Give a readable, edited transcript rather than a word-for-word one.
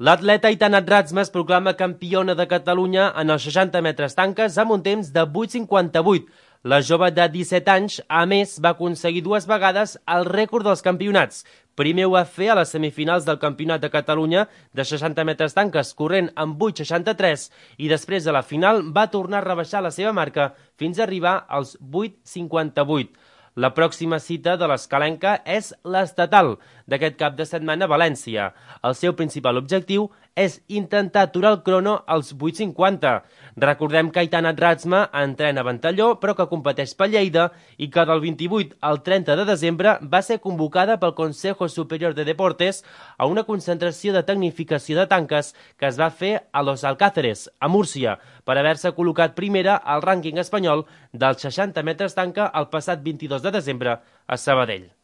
L'atleta Aitana Ratzma es proclama campiona de Catalunya en els 60 metres tanques amb un temps de 8,58. La jove de 17 anys, a més, va aconseguir 2 vegades el rècord dels campionats. Primer ho va fer a les semifinals del Campionat de Catalunya de 60 metres tanques, corrent amb 8,63, i després a la final va tornar a rebaixar la seva marca fins a arribar als 8,58. La pròxima cita de l'escalenca és l'estatal d'aquest cap de setmana a València. El seu principal objectiu és intentar aturar el crono als 8,50. Recordem que Aitana Ratzma entrena a Ventalló, però que competeix per Lleida i que del 28 al 30 de desembre va ser convocada pel Consejo Superior de Deportes a una concentració de tecnificació de tanques que es va fer a Los Alcáceres, a Múrcia, per haver-se col·locat primera al rànquing espanyol dels 60 metres tanca el passat 22 de desembre a Sabadell.